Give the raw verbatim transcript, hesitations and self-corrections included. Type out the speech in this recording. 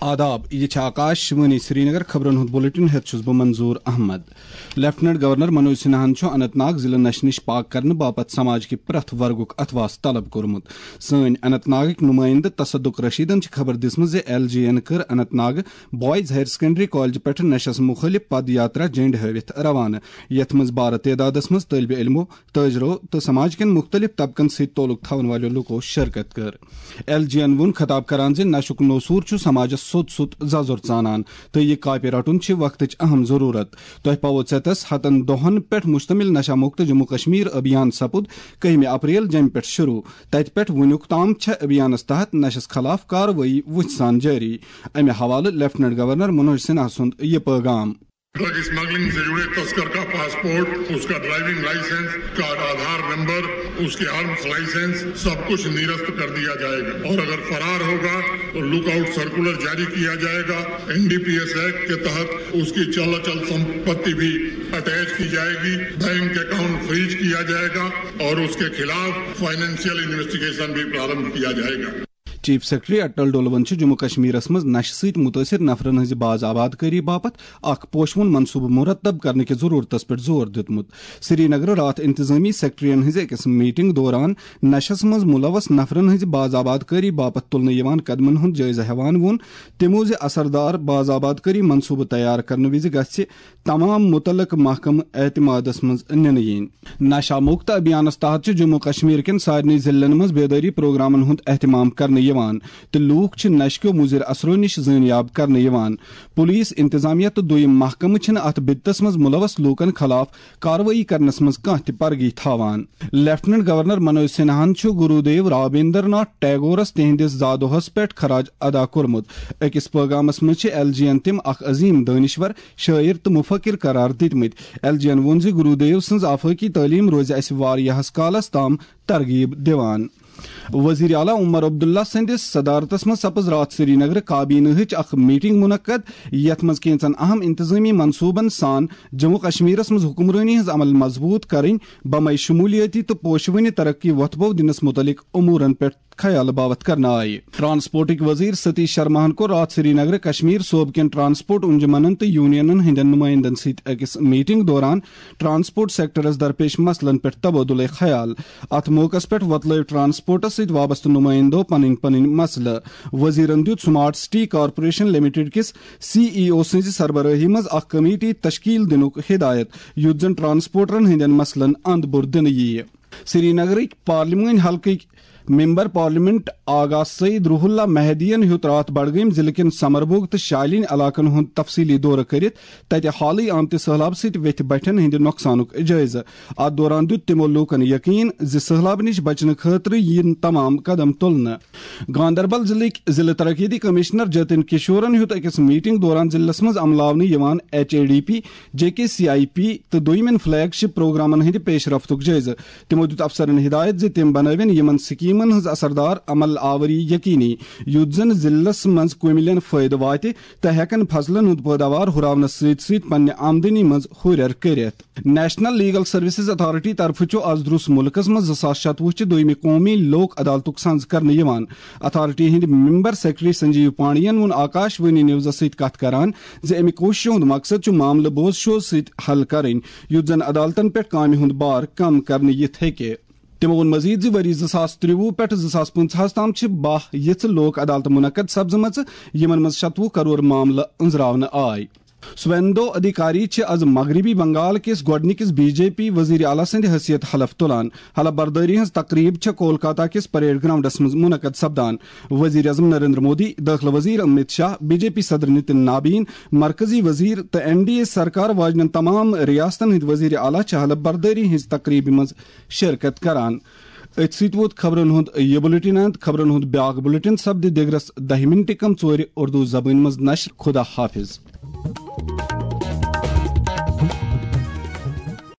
آداب، یہِ چھِ آکاش وانی سرینگر۔ خبرن ہُنٛد بلیٹن ہٮ۪تھ چھُس بہٕ منظور احمد۔ لیفٹیننٹ گورنر منوج سنہاہن چھُ اننت ناگ ضلعہٕ نشہٕ نِش پاک کرنہٕ باپتھ سماج کہِ پرٛٮ۪تھ ورگُک اتھواس طلب کوٚرمُت۔ سٲنۍ اننت ناگٕکۍ نُمٲیندٕ تصدق رشیدن چھِ خبر دِژمٕژ زِ ایل جی این کٔر اننت ناگہٕ بوائز ہائر سیکنڈری کالج پٮ۪ٹھٕ نشس مُخٲلف پد یاترا جھنڈ ہٲوِتھ روانہٕ، یتھ منٛز بارٕ تعدادس منٛز طٲلبِ علمو، تٲجرو تہٕ سماج کٮ۪ن مُختٔلِف طبقن سۭتۍ تعلق تھاون والٮ۪و لوٗکو شرکت کٔر۔ ایل جی ین ووٚن خطاب کران زِ نشُک نوسوٗر چھُ سماجس سوٚت سوٚت ززُر ژانان تہٕ یہِ کاپہِ رٹُن چھِ وقتٕچ اہم ضروٗرت۔ تۄہہِ پاوو ژٮ۪تس ہتن دۄہن پٮ۪ٹھ مشتمل نشہ مکت جموں کشمیر ابھیان سپُد کٔہمہِ اپریل جمہِ پٮ۪ٹھ شروع۔ تتہِ پٮ۪ٹھ وُنیُک تام چھےٚ ابھیانس تحت نشس خلاف کاروٲیی وُژھِ سان جٲری۔ امہِ حوالہٕ لیفٹیننٹ گورنر منوج سنہا سُنٛد یہِ پٲغام۔ ڈرگ اسمگلنگ سے جڑے تسکر کا پاسپورٹ، اس کا ڈرائیونگ لائسنس، اس کا آدھار نمبر، اس کے آرمز لائسنس، سب کچھ نرست کر دیا جائے گا اور اگر فرار ہوگا تو لک آؤٹ سرکولر جاری کیا جائے گا۔ N D P S act کے تحت اس کی چل اچل سمپتی بھی اٹیچ کی جائے گی۔ بینک اکاؤنٹ فریز کیا جائے گا اور اس کے خلاف فائنینشیل انویسٹیگیشن بھی پرارمبھ کیا جائے گا۔ چیف سیکرٹری اٹل ڈولون چھُ جموں کشمیرس منٛز نشہٕ سۭتۍ متٲثر نفرن ہٕنٛزِ باز آباد کٲری باپتھ اکھ پوشوُن منصوبہٕ مرتب کرنہٕ کہِ ضروٗرتس پٮ۪ٹھ زور دیُتمُت۔ سرینگرٕ راتھ انتظامی سیکرٹریَن ہٕنٛزِ أکِس میٹنگ دوران نشس منٛز ملوث نفرن ہٕنٛزِ باز آباد کٲری باپتھ تُلنہٕ یِوان قدمن ہُنٛد جٲیزٕ ہٮ۪وان ووٚن تِمو زِ اثردار باز آباد کٲری منصوبہٕ تیار کرنہٕ وِزِ گژھِ تمام متعلق محکمہٕ اعتمادس منٛز نِنہٕ یِنۍ۔ نشہ مکت ابھیانس تحت چھِ جموں کشمیر کٮ۪ن سارنٕے ضلعن منٛز بیدٲری پروگرامن ہُنٛد اہتمام کرنہٕ یِوان تہٕ لوٗکھ چھِ نشہٕ کیو مُضر اثرو نِش زٲنیاب کرنہٕ یِوان۔ پولیس، انتظامیہ تہٕ دوٚیِم محکمہٕ چھِنہٕ اتھ بدتس منٛز ملوث لوٗکن خلاف کاروٲیی کرنس منٛز کانٛہہ تہِ پرگی تھاوان۔ لیفٹیننٹ گورنر منوج سنہاہن چھُ گرو دیو رابیندر ناتھ ٹیگورس تِہنٛدِس زادوہس پٮ۪ٹھ خراج ادا کوٚرمُت۔ أکِس پٲغامس منٛز چھِ ایل جی ین تِم اکھ عظیم دٲنِشور، شٲعر تہٕ مُفکر قرار دِتمٕتۍ۔ ایل جی ین ووٚن زِ گرو دیو سٕنٛز آفٲقی تعلیٖم روزِ اَسہِ واریاہس کالس تام ترغیب دِوان۔ وزیر اعلیٰ عمر عبداللہ سٕنٛدِس صدارتس منٛز سپٕز راتھ سرینگرٕ کابینہٕچ اکھ میٹنگ منعقد، یتھ منٛز کینٛژن اہم انتظامی منصوبن سان جموں کشمیرس منٛز حکمرٲنی ہٕنٛز عمل مضبوٗط کرٕنۍ، بمے شمولیٲتی تہٕ پوشوٕنہِ ترقی وۄتھبو دِنس مُتعلق امورن پٮ۪ٹھ خیال باوتھ کرنہٕ آیہِ۔ ٹرانسپورٹٕکۍ وزیر ستیش شرماہن کوٚر راتھ سرینگرٕ کشمیر صوبہٕ کٮ۪ن ٹرانسپورٹ انجمنن تہٕ یونینن ہٕنٛدٮ۪ن نُمٲیندن سۭتۍ أکِس میٹنگ دوران ٹرانسپورٹ سیکٹرس درپیش مسلن پٮ۪ٹھ تبادلہ خیال۔ اتھ موقعس پٮ۪ٹھ وۄتلٲوۍ ٹرانسپورٹس سۭتۍ وابستہٕ نُمٲیندو پنٕنۍ پنٕنۍ مسلہٕ۔ وزیرن دیُت سمارٹ سٹی کارپوریشن لمیٹڈ کِس سی ای او سٕنٛزِ سربرٲہی منٛز اکھ کمیٹی تشکیل دِنُک ہدایت، یُتھ زن ٹرانسپورٹرن ہٕنٛدٮ۪ن مسلن اند بُر دِنہٕ یِیہِ۔ سرینگرٕکۍ پارلیمٲنۍ حلقٕکۍ ممبر پارلیمنٹ آغا سعید روح اللہ مہدیَن ہیوٚت راتھ بڈگٲمۍ ضلعہٕ کٮ۪ن سمربوگ تہٕ شالین علاقن ہُنٛد تفصیلی دورٕ کٔرِتھ تتہِ حالٕے آمتہِ سٔہلاب سۭتۍ ویتھِ بٹھٮ۪ن ہٕنٛدِ نۄقصانُک جٲیزٕ۔ اتھ دوران دیُت تِمو لوٗکن یقین زِ سٔہلاب نِش بچنہٕ خٲطرٕ یِن تمام قدم تُلنہٕ۔ گاندربل ضلعٕکۍ ضلعہٕ ترقیتی کمشنر جتن کشورن ہیوٚت أکِس میٹنگ دوران ضلعس منٛز عملاونہٕ یِوان H A D P, J K C I P تہٕ دوٚیمٮ۪ن فلیگ شپ پروگرامن ہٕنٛدِ پیش رفتُک جٲیزٕ۔ تِمو دیُت افسرن ہدایت زِ تِم بنٲوِن یِمن سکیمن ہٕنٛز اثردار عمل آوری یقینی، یُتھ زن ضلعس منٛز قومہِ لین فٲیدٕ واتہِ تہٕ ہٮ۪کن فصلن ہُنٛد پٲداوار ہُراونس سۭتۍ سۭتۍ پننہِ آمدنی منٛز ہُرٮ۪ر کٔرِتھ۔ نیشنل لیگل سروسز اتھارٹی طرفہٕ چھُ از دروس مُلکس منٛز زٕ ساس شتوُہ چہِ دوٚیمہِ قومی لوک عدالتُک سنز کرنہٕ یِوان۔ اتھارٹی ہٕنٛدۍ ممبر سیکرٹری سنجیو پانڈین ووٚن آکاش وانی نیوزس سۭتۍ کتھ کران زِ امہِ کوٗششہِ ہُنٛد مقصد چھُ معاملہٕ بوز شوز سۭتۍ حل کرٕنۍ، یُتھ زن عدالتن پٮ۪ٹھ کامہِ ہُنٛد بار کم کرنہٕ یِتھ ہیٚکہِ۔ تِمو ووٚن مزید زِ ؤری زٕ ساس ترٛوُہ پٮ۪ٹھ زٕ ساس پٕنٛژٕہَس تام چھِ باہ یِژھ لوک عدالتہٕ منعقد سپزمژٕ، یِمن منٛز شتوُہ کرور معاملہٕ أنٛزراونہٕ آے۔ سویندو ادھیکاری چھِ از مغربی بنگال کِس گۄڈٕنِکِس بی جے پی وزیر اعلیٰ سٕنٛدِ حیثیت حلف تُلان۔ حلف بردٲری ہٕنٛز تقریب چھےٚ کولکاتہ کِس پریڈ گراؤنڈس منٛز منعقد سپدان۔ وزیر اعظم نریندر مودی، دٲخلہٕ وزیر Amit Shah, B J P صدر نتن نابین، مرکزی وزیر تہٕ این ڈی اے سرکار واجنٮ۪ن تمام ریاستن ہٕنٛدۍ وزیر اعلیٰ چھِ حلف بردٲری ہٕنٛزِ تقریبہِ منٛز شرکت کران۔ أتھۍ سۭتۍ ووت خبرن ہُنٛد یہِ بُلٹن اند۔ خبرن ہُنٛد بیٛاکھ بُلٹن سپدِ دِگرس دَہہِ مِنٹہِ کم ژورِ اردو زبٲنۍ منٛز نشر۔ خدا حافظ۔